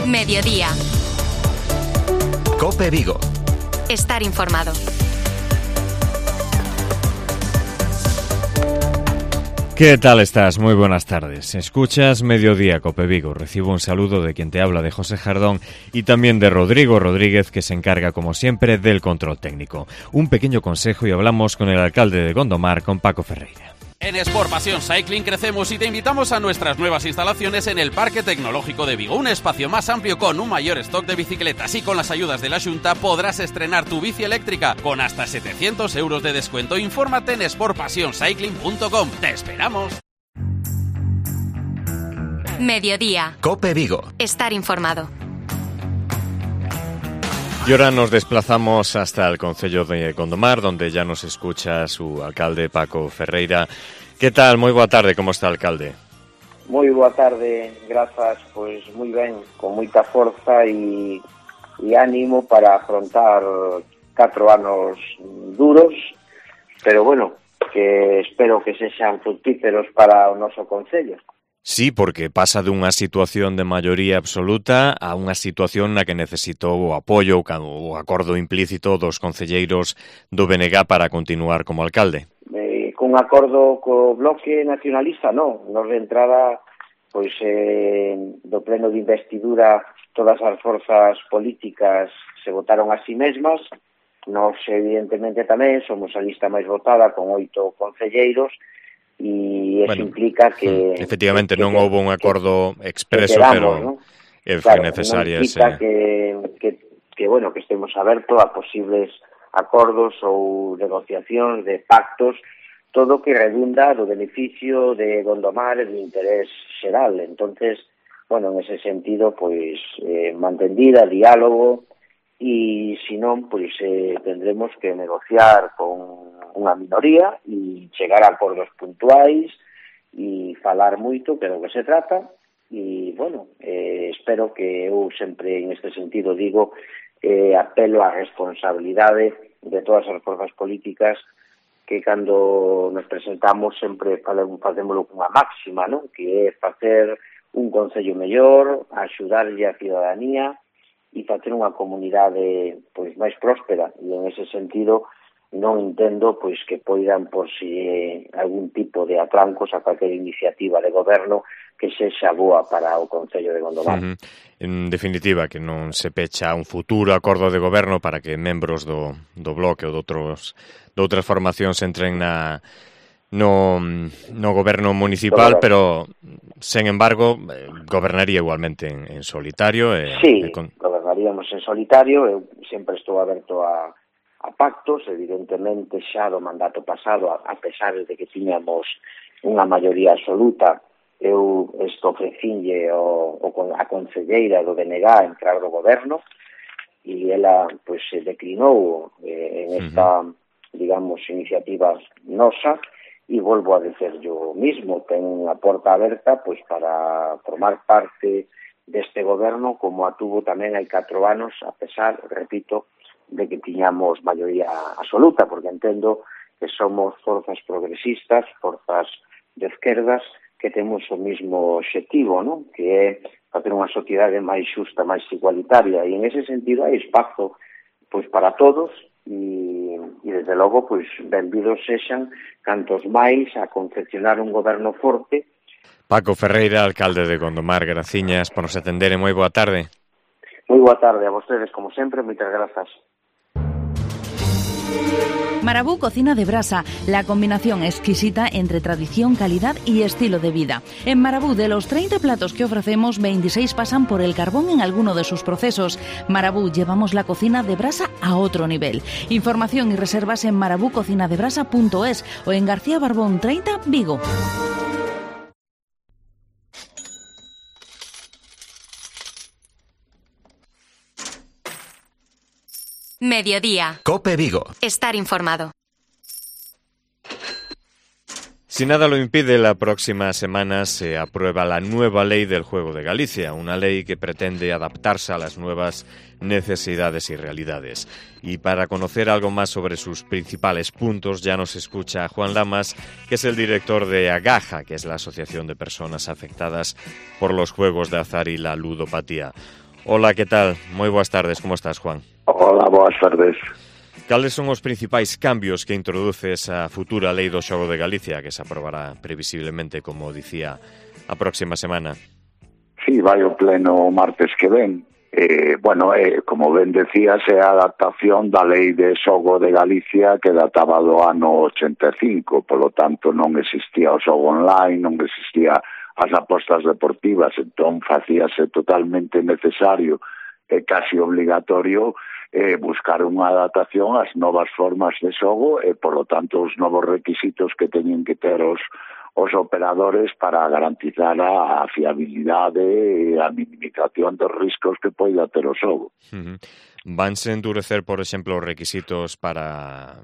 Mediodía. COPE Vigo. Estar informado. ¿Qué tal estás? Muy buenas tardes. Escuchas Mediodía COPE Vigo. Recibo un saludo de quien te habla, de José Jardón, y también de Rodrigo Rodríguez, que se encarga, como siempre, del control técnico. Un pequeño consejo y hablamos con el alcalde de Gondomar, con Paco Ferreira. En Sport Passion Cycling crecemos y te invitamos a nuestras nuevas instalaciones en el Parque Tecnológico de Vigo. Un espacio más amplio con un mayor stock de bicicletas, y con las ayudas de la Xunta podrás estrenar tu bici eléctrica con hasta 700 euros de descuento. Infórmate en sportpassioncycling.com. ¡Te esperamos! Mediodía. COPE Vigo. Estar informado. Y ahora nos desplazamos hasta el concello de Gondomar, donde ya nos escucha su alcalde, Paco Ferreira. ¿Qué tal? Moi boa tarde, como está, alcalde? Moi boa tarde, grazas, pois moi ben, con moita forza e ánimo para afrontar 4 anos duros, pero bueno, que espero que sexan fructíferos para o noso concello. Sí, porque pasa dunha situación de maioría absoluta a unha situación na que necesitou o apoio, o acordo implícito dos concelleiros do BNG para continuar como alcalde. Con acordo co Bloque Nacionalista, non. Nos de entrada, pois, do pleno de investidura, todas as forzas políticas se votaron a si mesmas. Nos, evidentemente, tamén somos a lista máis votada, con 8 concelleiros, e eso implica que... Efectivamente, non houve un acordo expreso, pero foi claro, necesaria ese... que estemos abertos a posibles acordos ou negociacións de pactos, todo que redunda do beneficio de Gondomar e do interés xeral. Entonces, bueno, en ese sentido, pois, mantendida, diálogo, e se non, pois tendremos que negociar con unha minoría e chegar a acordos puntuais e falar moito, que é do que se trata. E, bueno, espero que eu sempre en este sentido digo, apelo á responsabilidade de todas as forzas políticas, que cando nos presentamos sempre facémoslo cunha máxima, non? Que é facer un concello mellor, axudarlle a ciudadanía e facer unha comunidade, pois, máis próspera. E en ese sentido non entendo, pois, que poidan por si algún tipo de atrancos a calquer iniciativa de goberno que sexa boa para o concello de Gondomar. En definitiva, que non se pecha un futuro acordo de goberno para que membros do Bloque ou de outras formacións entren no goberno municipal, pero, sen embargo, gobernaría igualmente en solitario. Sí, gobernaríamos en solitario. Eu sempre estou aberto a pactos, evidentemente xa do mandato pasado, a pesar de que tiñamos unha maioría absoluta, eu ofrecinlle a concelleira do BNG entrar do goberno, e ela, pois, se declinou en esta, digamos, iniciativa nosa, e volvo a dicer yo mismo, ten a porta aberta, pois, para formar parte deste goberno, como a tuvo tamén hai 4 anos, a pesar, repito, de que tiñamos maioría absoluta, porque entendo que somos forzas progresistas, forzas de esquerdas, que temos o mismo obxectivo, non? Que é facer unha sociedade máis xusta, máis igualitaria, e en ese sentido hai espazo, pois, para todos, e desde logo, pois, benvidos sexan cantos máis a confeccionar un goberno forte. Paco Ferreira, alcalde de Gondomar, graciñas por nos atender e moi boa tarde. Moi boa tarde a vostedes, como sempre, moitas grazas. Marabú Cocina de Brasa, la combinación exquisita entre tradición, calidad y estilo de vida. En Marabú, de los 30 platos que ofrecemos, 26 pasan por el carbón en alguno de sus procesos. Marabú, llevamos la cocina de brasa a otro nivel. Información y reservas en marabúcocinadebrasa.es o en García Barbón 30, Vigo. Mediodía. COPE Vigo. Estar informado. Si nada lo impide, la próxima semana se aprueba la nueva ley del juego de Galicia, una ley que pretende adaptarse a las nuevas necesidades y realidades. Y para conocer algo más sobre sus principales puntos, ya nos escucha Juan Lamas, que es el director de Agaja, que es la Asociación de Personas Afectadas por los Juegos de Azar y la Ludopatía. Hola, que tal? Moi boas tardes, como estás, Juan? Hola, boas tardes. Cales son os principais cambios que introduce esa futura lei do xogo de Galicia, que se aprobará previsiblemente, como dicía, a próxima semana? Sí, vai o pleno martes que ven. Como ben decías, é a adaptación da lei de xogo de Galicia que databa do ano 85, polo tanto non existía o xogo online, non existía as apostas deportivas, entón facíase totalmente necesario e casi obligatorio buscar unha adaptación ás novas formas de xogo e, polo tanto, os novos requisitos que teñen que ter os operadores para garantizar a fiabilidade e a minimización dos riscos que poida ter o xogo. Vanse endurecer, por exemplo, os requisitos para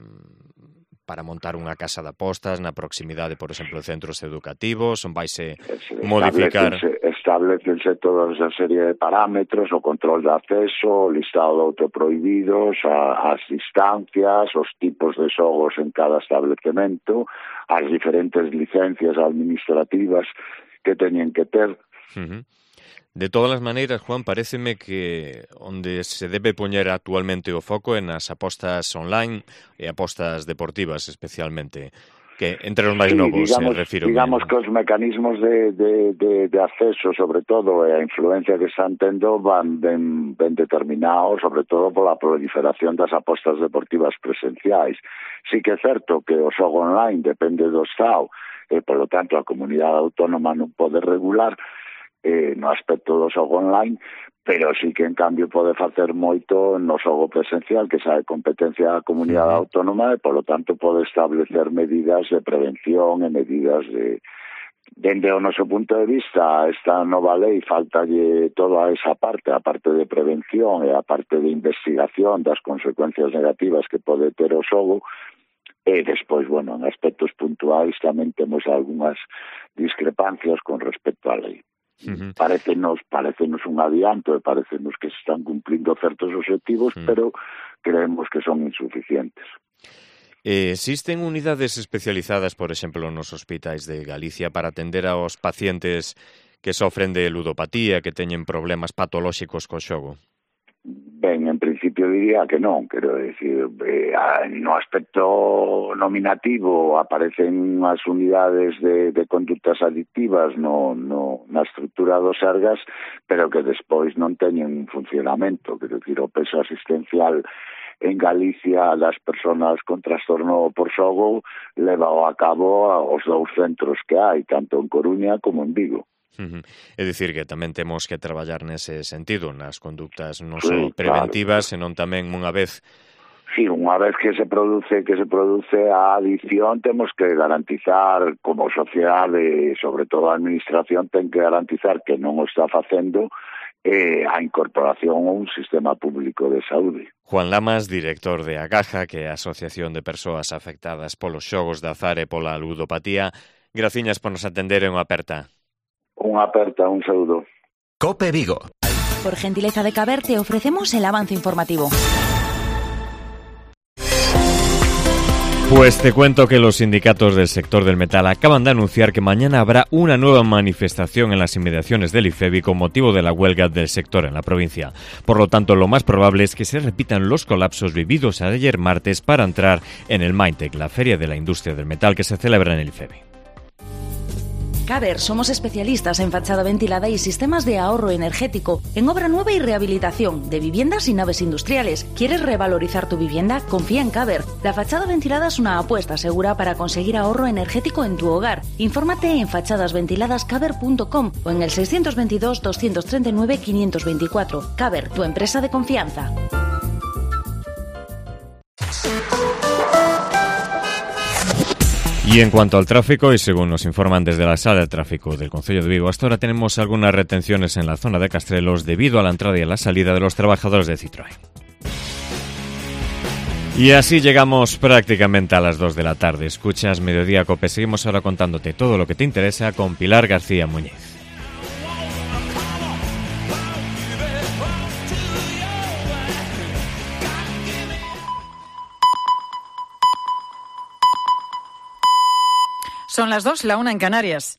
montar unha casa de apostas na proximidade, por exemplo, de centros educativos, on vaise modificar... Establecense toda esa serie de parámetros, o control de acceso, o listado de autoprohibidos, as distancias, os tipos de xogos en cada establecemento, as diferentes licencias administrativas que teñen que ter. De todas as maneiras, Juan, paréceme que onde se debe poñer actualmente o foco en as apostas online e apostas deportivas especialmente, que entre os máis novos, refiro. Digamos que os mecanismos de acceso, sobre todo, e a influencia que están tendo van ben determinados, sobre todo pola proliferación das apostas deportivas presenciais. Sí que é certo que o xogo online depende do Estado e, polo tanto, a comunidade autónoma non pode regular no aspecto do xogo online, pero sí que en cambio pode facer moito no xogo presencial, que xa é competencia da comunidade autónoma e, polo tanto, pode establecer medidas de prevención e medidas de... Dende o noso punto de vista, esta nova lei faltalle toda esa parte, a parte de prevención e a parte de investigación das consecuencias negativas que pode ter o xogo. E despois, en aspectos puntuais tamén temos algunhas discrepancias con respecto á lei. Parecenos un adianto e parecenos que se están cumplindo certos objetivos, pero creemos que son insuficientes. Existen unidades especializadas, por exemplo, nos hospitais de Galicia para atender aos pacientes que sofren de ludopatía, que teñen problemas patolóxicos co xogo? Ben, en principio diría que non, quero decir, no aspecto nominativo aparecen as unidades de conductas adictivas na estrutura dos Sergas, pero que despois non teñen funcionamento, quero decir, o peso asistencial en Galicia das persoas con trastorno por xogo leva a cabo os dous centros que hai, tanto en Coruña como en Vigo. É dicir que tamén temos que traballar nese sentido, nas conductas non só preventivas, senón tamén unha vez... Sí, unha vez que se produce a adicción, temos que garantizar como sociedade, sobre todo a administración, ten que garantizar que non o está facendo a incorporación a un sistema público de saúde. Juan Lamas, director de Agaja, que é a Asociación de Persoas Afectadas polos Xogos de Azar e pola Ludopatía. Graciñas por nos atender e unha aperta. Unha aperta, un saúdo. COPE Vigo. Por gentileza de Caber te ofrecemos el avance informativo. Pues te cuento que los sindicatos del sector del metal acaban de anunciar que mañana habrá una nueva manifestación en las inmediaciones del IFEBI con motivo de la huelga del sector en la provincia. Por lo tanto, lo más probable es que se repitan los colapsos vividos ayer martes para entrar en el Mindtech, la feria de la industria del metal que se celebra en el IFEBI. Caber, somos especialistas en fachada ventilada y sistemas de ahorro energético, en obra nueva y rehabilitación, de viviendas y naves industriales. ¿Quieres revalorizar tu vivienda? Confía en Caber. La fachada ventilada es una apuesta segura para conseguir ahorro energético en tu hogar. Infórmate en fachadasventiladascaber.com o en el 622-239-524. Caber, tu empresa de confianza. Y en cuanto al tráfico, y según nos informan desde la sala de tráfico del Concello de Vigo, hasta ahora tenemos algunas retenciones en la zona de Castrelos debido a la entrada y a la salida de los trabajadores de Citroën. Y así llegamos prácticamente a las 2 de la tarde. Escuchas Mediodía Cope. Seguimos ahora contándote todo lo que te interesa con Pilar García Muñiz. Son las 2, la 1 en Canarias.